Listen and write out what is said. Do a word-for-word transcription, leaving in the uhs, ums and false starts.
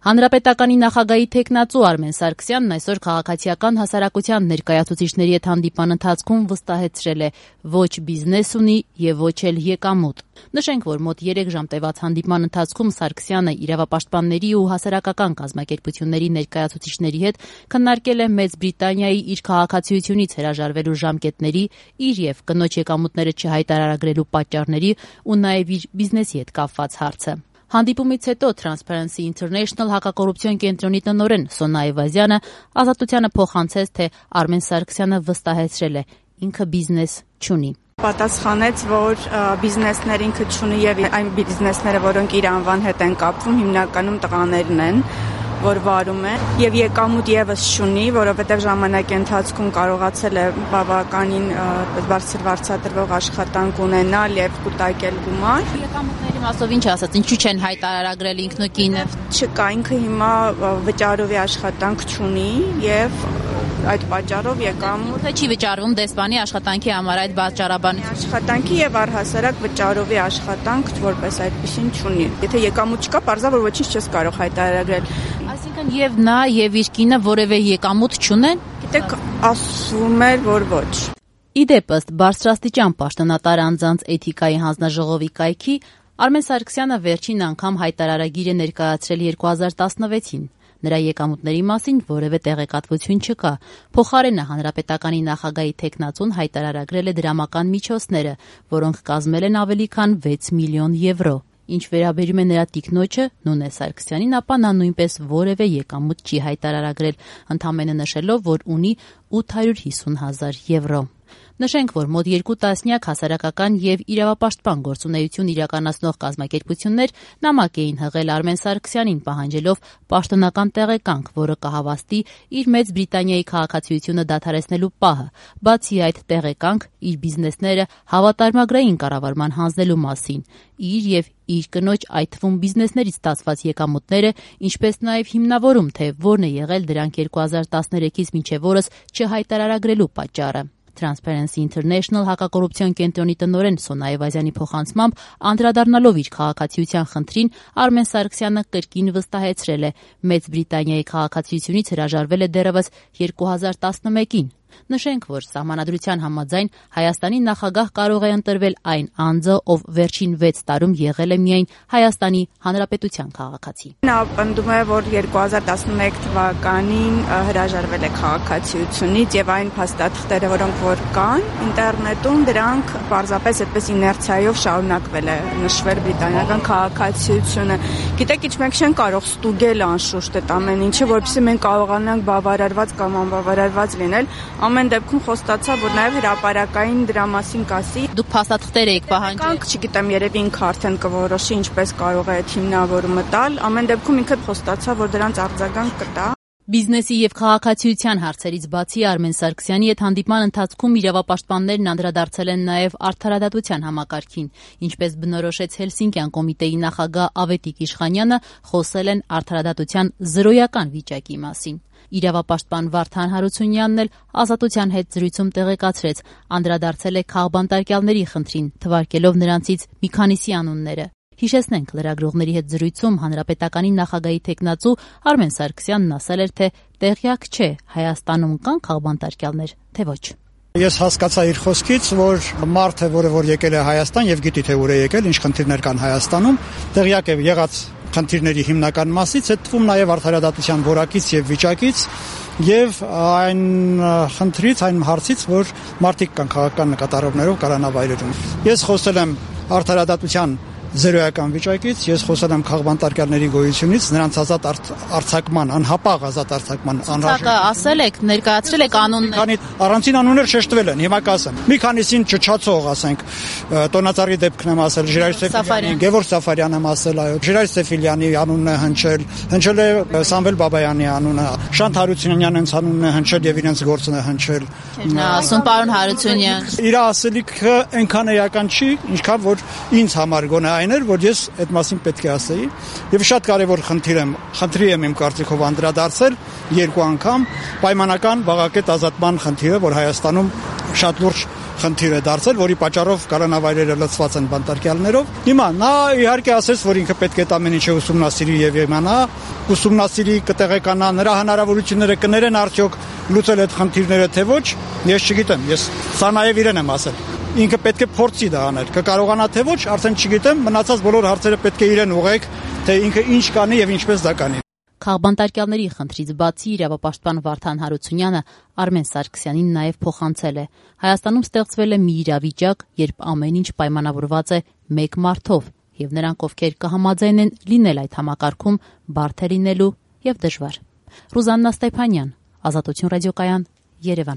Հանրապետականի նախագահի թեկնածու Արմեն Սարգսյանն այսօր քաղաքացիական հասարակության ներկայացուցիչների հետ հանդիպման ընթացքում վստահեցրել է ոչ բիզնես ունի եւ ոչ էլ եկամուտ։ Նշենք, որ մոտ երեք ժամ տևած հանդիպման ընթացքում Սարգսյանը իրավապաշտպանների ու հասարակական կազմակերպությունների ներկայացուցիչների հետ քննարկել է Մեծ Բրիտանիայի իր քաղաքացիությունից հրաժարվելու ժամկետների, իր եւ կնոջ եկամուտները չհայտարարագրելու պատճառների ու նաեւ իր բիզնեսի հետ կապված հարցը։ Հանդիպումից հետո Transparency International հակակոռուպցիոն կենտրոնի տնօրեն Սոնա Այվազյանը ազատությանը փոխանցեց, թե Արմեն Սարգսյանը վստահեցրել է ինքը բիզնես չունի։ Պատասխանեց, որ բիզնեսներ ինքը չունի եւ այն բիզնեսները, որոնք իր անվան հետ են կապվում, հիմնականում տղաներն են, որ վարում է եւ եկամուտ եւս չունի, որովհետեւ ժամանակի ընթացքում կարողացել է բավականին բարձր վարձատրվող աշխատանք ունենալ եւ կուտակել գումար։ Եկամուտների մասով ինչ ասած, ինչու չեն հայտարարագրել ինքնուկինը։ Չկա, ինքը հիմա վճարովի աշխատանք չունի եւ այդ պատճառով եկամուտ Թե չի վճարվում դեսպանի աշխատանքի համար այդ պատճառաբանությունը։ Աշխատանքի եւ առհասարակ վճարովի աշխատանք որպես այդպեսին չունի։ Եթե եկամուտ չկա, պարզա որ ոչինչ չես կարող հայտարարել։ Այսինքն եւ նա եւ իր կինը որևէ եկամուտ չունեն։ Գիտեք, ասում էր, որ ոչ։ Իդեպ ըստ բարձրաստիճան պաշտոնատար անձանց էթիկայի հանձնաժողովի կայքի Արմեն Սարգսյանը վերջին անգամ հայտարարագիր է ներկայացրել երկու հազար տասնվեցին։ Նրա եկամուտների մասին որևէ տեղեկատվություն չկա։ Փոխարենը հանրապետականի նախագահի թեկնածուն հայտարարագրել է դրամական միջոցները, որոնք կազմել են ավելի քան վեց միլիոն եվրո։ Ինչ վերաբերում է նրա տիկնոջը Նունե Սարգսյանին, ապա նա նույնպես որևէ եկամուտ չի հայտարարագրել, ընդամենը նշելով, որ ունի ութ հարյուր հիսուն հազար եվրո։ Նշենք, որ մոտ երկու տասնյակ հասարակական եւ իրավապաշտպան գործունեություն իրականացնող կազմակերպություններ նամակ էին հղել Արմեն Սարգսյանին, պահանջելով պաշտոնական տեղեկանք, որը կհավաստի իր Մեծ Բրիտանիայի քաղաքացիությունը դադարեցնելու պահը։ Բացի այդ տեղեկանք, իր բիզնեսները հավատարմագրային կառավարման հանձնելու մասին, իր եւ իր կնոջ, այդ թվում բիզնեսներից ստացված եկամուտները, ինչպես նաեւ հիմնավորում, թե որն է եղել դրանք երկու հազար տասներեքից մինչեւ օրս չհայտարարագրելու պատճառը։ Transparency International հակակոռուպցիոն կենտրոնի տնօրեն Սոնա Այվազյանի փոխանցմամբ, անդրադառնալով իր քաղաքացիության խնդրին, Արմեն Սարգսյանը կրկին վստահեցրել է, Մեծ Բրիտանիայի քաղաքացիությունից հրաժարվել է դեռևս երկու հազար տասնմեկին։ Նշենք, որ սահմանադրության համաձայն Հայաստանի նախագահ կարող է ընտրվել այն անձը, ով վերջին վեց տարում եղել է միայն Հայաստանի Հանրապետության քաղաքացի։ Նա պնդում է, որ երկու հազար տասնմեկ թվականին հրաժարվել է քաղաքացիությունից եւ այն փաստաթղթերը, որոնք որ կան ինտերնետում, դրանք պարզապես այդպես իներցիայով շարունակվել է նշվել բրիտանական քաղաքացիությունը։ Գիտեք, ինչ մենք չենք կարող ստուգել անշուշտ այդ ամեն ինչը, որովհետեւ մենք կարողանանք բավարարված կամ անբավարարված լինել։ Ամեն դեպքում խոստացա, որ նաև հրապարակային դրա մասին կասի։ Դուք փաստաթղթեր եք պահանջել։ Չգիտեմ, երևի ինքը արդեն կորոշի ինչպես կարող է այդ հիմնավորումը տալ։ Ամեն դեպքում ինքը խոստացա, որ դրանց արձագանք կտա։ Բիզնեսի եւ քաղաքացիության հարցերից բացի Արմեն Սարգսյանի հետ հանդիպման ընթացքում իրավապաշտպաններն անդրադարձել են նաեւ արդարադատության համակարգին, ինչպես բնորոշեց Հելսինկյան կոմիտեի նախագահ Ավետիք Իշխանյանը, խոսել են արդարադատության զրոյական վիճակի մասին։ Իրավապաշտպան Վարդան Հարությունյանն էլ ազատության հետ զրույցում տեղեկացրեց, անդրադարձել է քաղբանտարկյալների խնդրին, թվարկելով նրանցից մի քանիսի անունները։ Հիշեցնենք, լրագրողների հետ զրույցում հանրապետականի նախագահի թեկնածու Արմեն Սարգսյանն ասել էր, թե տեղյակ չէ Հայաստանում կան քաղբանտարկյալներ, թե ոչ։ Ես հասկացա իր խոսքից, որ մարդը, որը որ եկել է Հայաստան եւ գիտի թե ուր է եկել, ինչ խնդիրներ կան Հայաստանում, տեղյակ է եղած խնդիրների հիմնական մասից, այդ թվում նաև արդարադատության որակից եւ վիճակից եւ այն խնդրից, այն հարցից, որ մարդիկ կան քաղաքական նկատառումներով կառանավայրերում։ Ես խոսել եմ արդարադատության զրոյական վիճակից, ես խոսել եմ քաղբանտարկյալների գոյությունից, նրանց ազատ արձակման, անհապաղ ազատ արձակման անհրաժեշտ։ Ասել եք, ներկայացրել եք անուններ։ Քանի առանցին անուններ շեշտվել են, հիմա կասեմ։ Մի քանիսին չչացող, ասենք, Տոնածառի դեպքն եմ ասել, Ժիրայր Սեֆիլյանի, Գևորգ Սաֆարյան եմ ասել, այո, Ժիրայր Սեֆիլյանի անունն է հնչել, հնչել է Սամվել Բաբայանի անունը, Շանթ Հարությունյանն անունն է հնչել եւ իրենց գործն է հնչել։ Ասում պարոն Հարությունյան։ Իր ասելիքը այնքան էական չի, ինչքան որ ինձ համար գոնե այն էր, որ ես այդ մասին պետք է ասեի եւ շատ կարեւոր խնդիր եմ, խնդրի եմ իմ կարծիքով անդրադարձել երկու անգամ պայմանական բաղակետ ազատման խնդիրը, որ Հայաստանում շատ լուրջ խնդիր է դարձել, որի պատճառով կառանավայրերը լցված են բանտարկյալներով։ Հիմա նա իհարկե ասեց, որ ինքը պետք է ամեն ինչը ուսումնասիրի եւ իմանա, ուսումնասիրի, կտեղեկանա, նրա հնարավորությունները կներեն արդյոք լուծել այդ խնդիրները թե ոչ, ես չգիտեմ, ես սա նաեւ իրեն եմ ասել։ Ինքը պետք է փորձի դա անել, կկարողանա թե ոչ, արդեն չգիտեմ, մնացած բոլոր հարցերը պետք է իրեն ուղղեք, թե ինքը ինչ կանի եւ ինչպես դա կանի։ Քաղբանտարկյալների խնդրից բացի իրավապաշտպան Վարդան Հարությունյանը Արմեն Սարգսյանին նաև փոխանցել է. Հայաստանում ստեղծվել է մի իրավիճակ, երբ ամեն ինչ պայմանավորված է մեկ մարդով, եւ նրանք, ովքեր կհամաձայնեն լինել այդ համակարգում, բարդ է լինելու եւ դժվար։ Ռուզաննա Ստեփանյան, Ազատություն ռադիոկայան, Երևան։